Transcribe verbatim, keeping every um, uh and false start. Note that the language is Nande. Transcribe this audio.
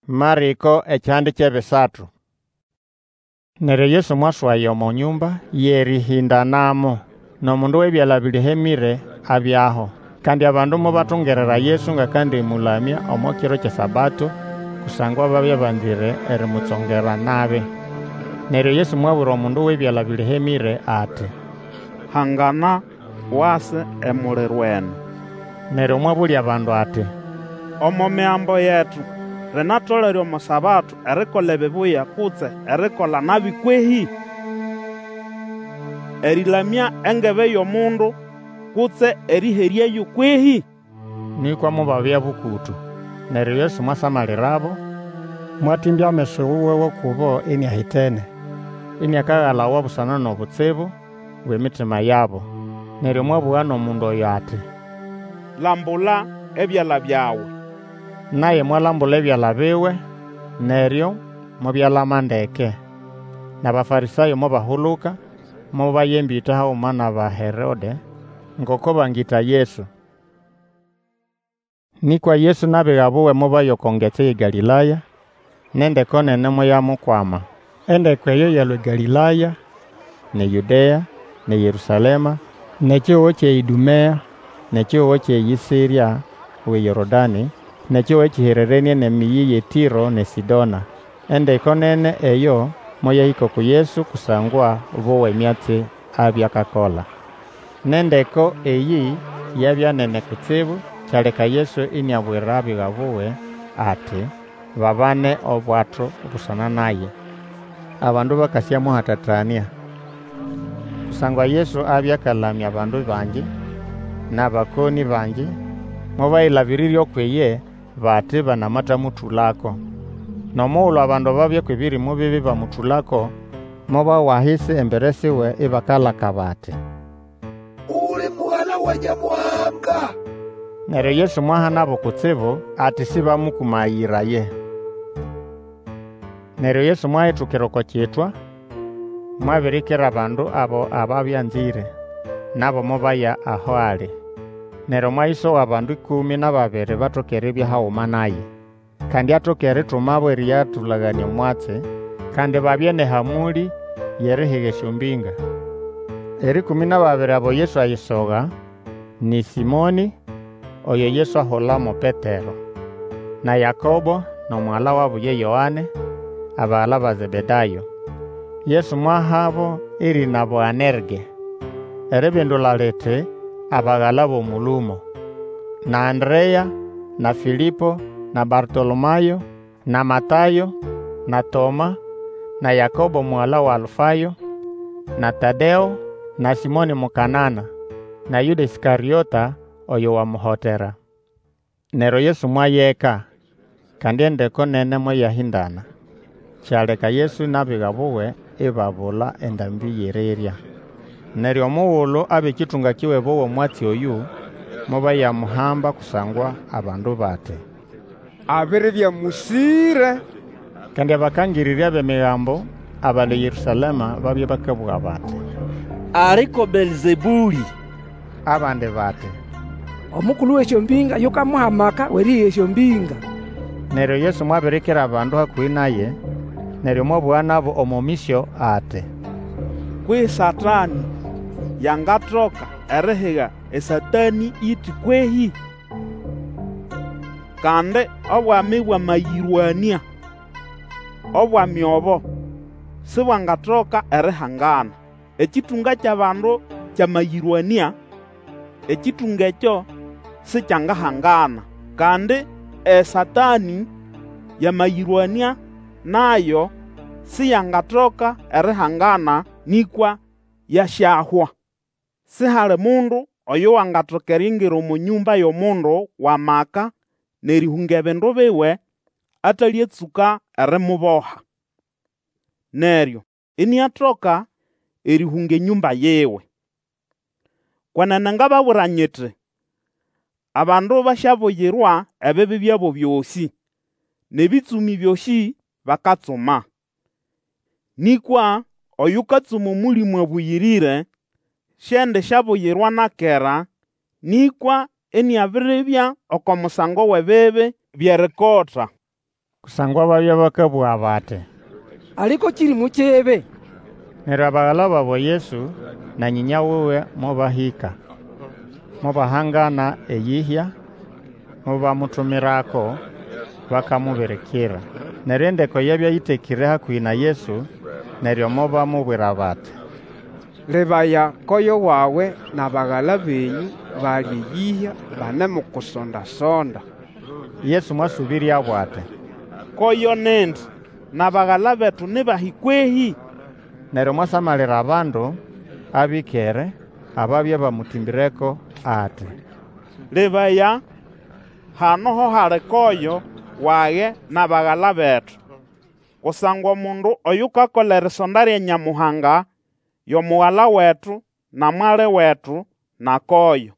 Marĩko ekihande ky'ebisatu. Neryo Yesu mwaswaya omo nyũmba y'erĩhĩndanamo, n'omundu w'ebyala bĩlĩhemĩre abyaho. Kandi abandu mobatungirira Yesu ng'akandĩmũlamya omo kiro ky'eSabato, kusangwa babya banzĩre erimutsongera nabi. Neryo Yesu mwabwira omundu w'ebyala bĩlĩhemĩre ati, Hangana, wase emuliro eno. Neryo mwabũlya abandu ati, Omo Migambo yetu linatolere omo Sabato erikola ebibuya kutse erikola nabi kwehĩ? Erĩlamya engebe y'omundu kutse erĩheryayo kwehĩ? Nĩkwa mobabya bũkũtũ. Neryo Yesu mwasamalirabo, mwatĩmbya ameso wuwe g'ukubo iniahitene, iniakagalawa busana n'obutsibu bw'emitima yabo. Neryo mwabũga n'omundu oyo ati, Lambula ebyala byawe. Naye mwalambula ebyala biwe, neryo mobyalama ndeke. N'Abafarĩsayo mobahuluka, mobaya embĩta haguma n'Abaherode ngoko bangĩta Yesu. Nĩkwa Yesu n'abiga buwe mobaya oko ngetsi y'eGalĩlaya, n'endeko nene moyamukwama. Endeko eyo yalũa eGalĩlaya, n'eYũdea, n'eYerũsalema, n'ekihugo ky'eĨdũmea, n'ekihugo ky'eyisĩrya w'eYorodanĩ, n'ekihugo ekĩhererenĩe n'emĩyĩ y'eTĩro n'eSĩdona. Endeko nene eyo moyahĩka uku Yesu kusangwa bowa emyatsi abya akakola. N'endeko eyĩ yabya nene kutsibu, kyaleka Yesu iniabwira abiga buwe ati, babane obwato busana naye, abandu bakasyamuhatatanĩa. Kusangwa Yesu abya akalamya abandu bangi, n'abakonĩ bangi, mobayĩlabĩrĩrya ukw'iye bati banamatamũtũlako. N'omugulu abandu ababya kw'ebĩrĩmũ bibi bamũtũlako, mobawa ahisi embere siwe ibakalaka bati, Uli Mugala wa Nyamuhanga! Neryo Yesu mwahanabo kutsibu ati sĩbamũkũmayĩraye. Neryo Yesu mwahitukira oko kitwa, mwabirikira abandu abo ababya anzĩre, nabo mobaya aho ali. Neryo mwayisoga abandu ĩkũmĩ n'ababiri batoke eribya haguma naye. Kandi atoke eritumabo erĩyatũlaganĩa omwatsi, kandi babye n'ehamũlĩ y'erihiga esyombĩnga. Erĩkũmĩ n'ababiri abo Yesu ayisoga ni Sĩmonĩ, oyo Yesu ahula mo Petero, na Yakobo n'omugala wabo ye Yoane, abagala ba Zebedayo. Yesu mwahabo erĩna Boanerge, eribindula liti, Abagala b'omũlũmo. Na Anderea, na Fĩlĩpo, na Bartolomayo, na Matayo, na Toma, na Yakobo mugala wa Alfayo, na Tadeo, na Sĩmonĩ Mukanana, na Yũda Ĩskarĩota oyo wamuhotera. Neryo Yesu mwaya eka, kandi endeko nene moyahĩndana. Kyaleka Yesu n'abiga buwe ibabula endambĩ y'erirya. Neryo omugulu ab'ekĩtũnga kiwe bowa omwatsi oyũ, mobayamuhamba kusangwa abandu bati, Abiribya mũsĩre. Kandi abakangĩrĩrya b'Emigambo abalũa eYerũsalema babya bakabũga bati, Ali ko Belzebũlĩ. Abandi bati, Omukulu w'esyombĩnga yukamuha amaka w'erĩhĩga esyombĩnga. Neryo Yesu mwabirikira abandu hakũhĩ naye, neryo mwabũga nabo omo mĩsyo ati, Kwehĩ Satanĩ yangatoka erihiga eSatanĩ iti kwehĩ? Kandi obwami bwamayĩrwanĩa, obwami obo sibwangatoka erihangana. Ekĩtũnga ky'abandu kyamayĩrwanĩa, ekĩtũnga ekyo sikyangahangana. Kandi eSatanĩ yamayĩrwanĩa, nayo siyangatoka erihangana, nĩkwa yasyahwa. Sihali mundu oyo wangatoka eriingira omo nyũmba y'omundu w'amaka n'erĩhũnga ebindu biwe atalĩatsũka erimuboha. Neryo iniatoka erĩhũnga enyũmba yiwe. Kwenene ngababwira nyiti, abandu basyabuyirwa ebibi byabo byosĩ, n'ebĩtsũmĩ byosĩ bakatsuma. Nĩkwa oyukatsuma Omũlĩmũ Abũyĩrĩre siendisyabuyirwa na kera, nĩkwa iniabiribya oko musango w'ebibi by'erikota. Kusangwa babya bakabũga bati, Ali ko kĩrĩmũ kibi. Neryo abagala babo Yesu na nyĩnya wuwe mobahĩka, mobahangana eyĩhya, mobamutumirako bakamubirikira. Neryo endeko yabya ĩtekĩre hakũhĩ na Yesu, neryo mobamubwira bati, Lebaya, koyo wawe n'abagala benyũ bali eyĩhya banemukusonda-sonda. Yesu mwasũbĩryabo ati, Koyo nindi, n'abagala betu ni bahi kwehĩ? Neryo mwasamalira abandu abĩkere ababya bamũtĩmbĩreko ati, Lebaya, hano ho hali koyo wage n'abagala betu. Kusangwa omundu oyukakola erisonda lya Nyamuhanga yo mugala wetu, na mwali wetu, na koyo.